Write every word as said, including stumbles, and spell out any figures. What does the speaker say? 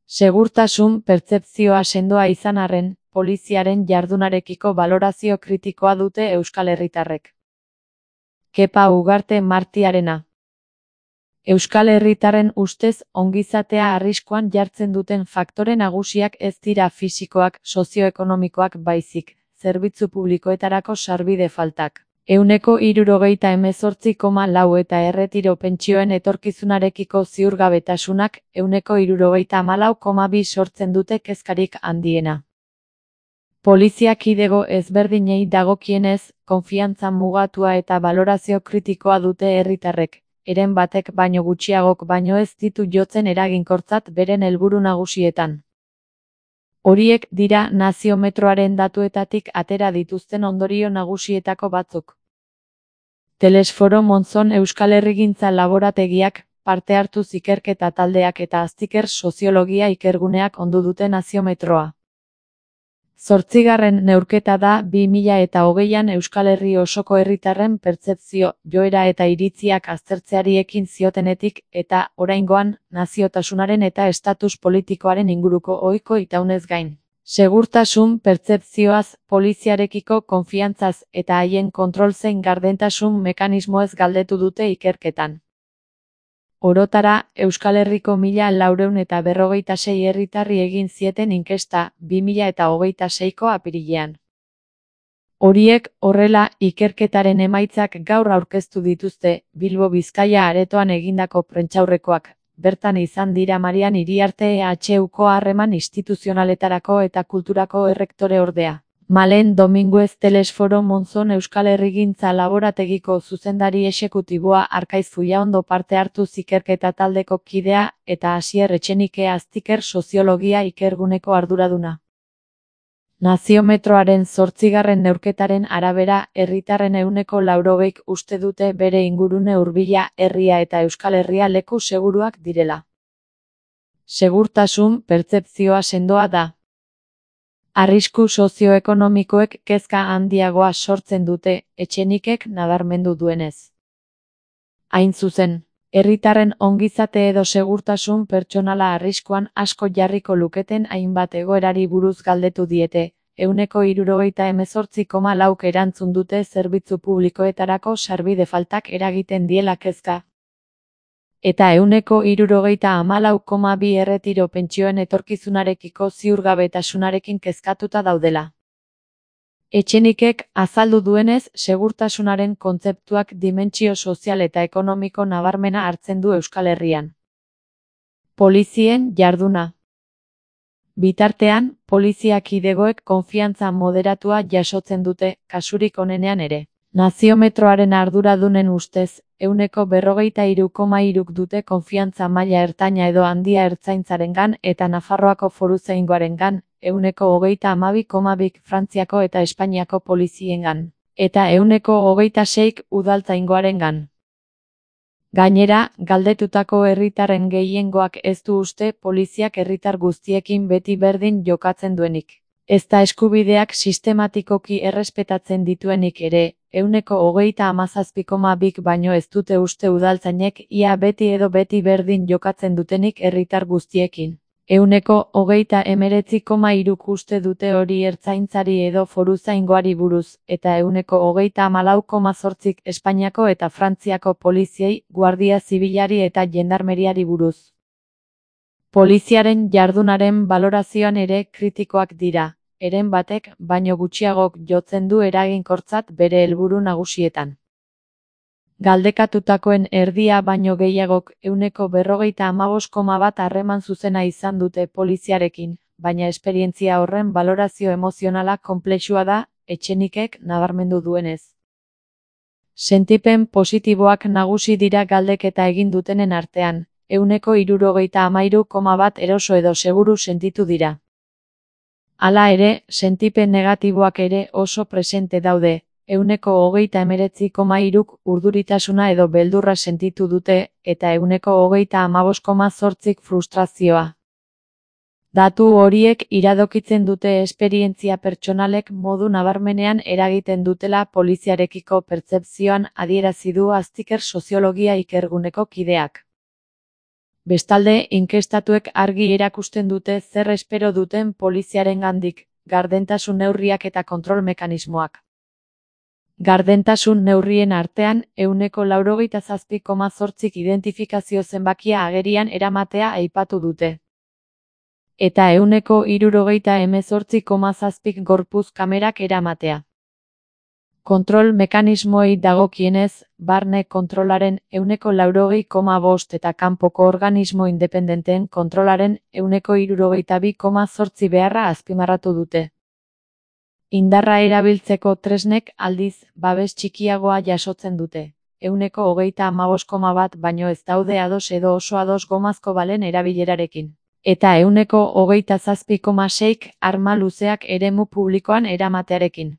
Segurtasun pertzepzioa sendoa izan arren, poliziaren jardunarekiko balorazio kritikoa dute euskal herritarrek. Kepa Ugarte Martiarena. Euskal herritarren ustez ongizatea arriskuan jartzen duten faktore nagusiak ez dira fisikoak, sozioekonomikoak baizik, zerbitzu publikoetarako sarbide faltak. Ehuneko hirurogeita hemezortzi koma lau eta erretiro pentsioen etorkizunarekiko ziurgabetasunak ehuneko hirurogeita hamalau koma bi sortzen dute kezkarik handiena. Polizia kidego ezberdinei dagokienez, konfiantza mugatua eta balorazio kritikoa dute herritarrek, heren batek baino gutxiagok baino ez ditu jotzen eraginkortzat beren helburu nagusietan. Horiek dira naziometroaren datuetatik atera dituzten ondorio nagusietako batzuk. Telesforo Monzon Euskal Herrigintza Laborategiak, parte hartuz ikerketa taldeak eta aztiker soziologia ikerguneak ondu dute naziometroa. Zortzigarren neurketa da bi mila eta hogeian Euskal Herri osoko herritarren pertzepzio, joera eta iritziak aztertzeari ekin ziotenetik eta, oraingoan, naziotasunaren eta estatus politikoaren inguruko ohiko itaunez gain. Segurtasun pertzepzioaz, poliziarekiko konfiantzaz eta haien kontrol zein gardentasun mekanismoez galdetu dute ikerketan. Orotara, Euskal Herriko mila laurehun eta berrogeita sei herritarri egin zieten inkesta bi mila eta hogeita seiko apirilean. Horiek, horrela, ikerketaren emaitzak gaur aurkeztu dituzte, Bilbo Bizkaia aretoan egindako prentsaurrekoak, bertan izan dira Marian Iriarte E H Uko harreman instituzionaletarako eta kulturako errektore ordea. Malen Dominguez Telesforo Monzon Euskal Herrigintza Laborategiko zuzendari exekutiboa Arkaiz Fullaondo parte hartu ikerketa taldeko kidea eta Asier Etxenike aztiker soziologia ikerguneko arduraduna. Naziometroaren zortzigarren neurketaren arabera, herritarren ehuneko laurogeik uste dute bere ingurune hurbila, herria eta Euskal Herria leku seguruak direla. Segurtasun pertzepzioa sendoa da. Arrisku sozioekonomikoek kezka handiagoa sortzen dute, Etxenikek nabarmendu duenez. Hain zuzen, herritarren ongizate edo segurtasun pertsonala arriskuan asko jarriko luketen hainbat egoerari buruz galdetu diete, ehuneko hirurogeita hemezortzi koma lauk erantzun dute zerbitzu publikoetarako sarbide faltak eragiten diela kezka. Eta ehuneko hirurogeita hamalau koma bi erretiro pentsioen etorkizunarekiko ziurgabetasunarekin kezkatuta daudela. Etxenikek azaldu duenez, segurtasunaren kontzeptuak dimentsio sozial eta ekonomiko nabarmena hartzen du Euskal Herrian. Polizien jarduna. Bitartean, polizia kidegoek konfiantza moderatua jasotzen dute, kasurik onenean ere. Naziometroaren arduradunen ustez, ehuneko berrogeita hiru koma hiruk dute konfiantza maila ertaina edo handia ertzaintzarengan eta Nafarroako foruzaingoarengan, ehuneko hogeita hamabi koma bik Frantziako eta Espainiako poliziengan, eta ehuneko hogeita seik udaltzaingoarengan. Gainera, galdetutako herritarren gehiengoak ez du uste poliziak herritar guztiekin beti berdin jokatzen duenik. Ezta eskubideak sistematikoki errespetatzen dituenik ere, ehuneko hogeita hamazazpi koma bik baino ez dute uste udaltzainek ia beti edo beti berdin jokatzen dutenik herritar guztiekin. Ehuneko hogeita hemeretzi koma hiruk uste dute hori ertzaintzari edo foruzaingoari buruz, eta ehuneko hogeita hamalau koma zortzik Espainiako eta Frantziako poliziei, guardia zibilari eta jendarmeriari buruz. Poliziaren jardunaren balorazioan ere kritikoak dira, heren batek baino gutxiagok jotzen du eraginkortzat bere helburu nagusietan. Galdekatutakoen erdia baino gehiagok ehuneko berrogeita hamabost koma bat harreman zuzena izan dute poliziarekin, baina esperientzia horren balorazio emozionala konplexua da, Etxenikek nabarmendu duenez. Sentipen positiboak nagusi dira galdeketa egin dutenen artean, ehuneko hirurogeita hamairu koma bat eroso edo seguru sentitu dira. Hala ere, sentipen negatiboak ere oso presente daude, ehuneko hogeita hemeretzi koma hiruk urduritasuna edo beldurra sentitu dute, eta ehuneko hogeita hamabost koma zortzik frustrazioa. Datu horiek iradokitzen dute esperientzia pertsonalek modu nabarmenean eragiten dutela poliziarekiko pertzepzioan adierazi du aztiker soziologia ikerguneko kideak. Bestalde, inkestatuek argi erakusten dute zer espero duten poliziarengandik, gardentasun neurriak eta kontrol mekanismoak. Gardentasun neurrien artean, ehuneko laurogeita zazpi koma zortzik identifikazio zenbakia agerian eramatea aipatu dute. Eta ehuneko hirurogeita hemezortzi koma zazpik gorpuz kamerak eramatea. Kontrol mekanismoei dagokienez, barne kontrolaren ehuneko laurogei koma bost eta kanpoko organismo independenteen kontrolaren ehuneko hirurogeita bi koma zortzi beharra azpimarratu dute. Indarra erabiltzeko tresnek aldiz, babes txikiagoa jasotzen dute. Ehuneko hogeita hamabost koma bat baino ez daude ados edo oso ados gomazko balen erabilerarekin. Eta ehuneko hogeita zazpi koma seik arma luzeak eremu publikoan eramatearekin.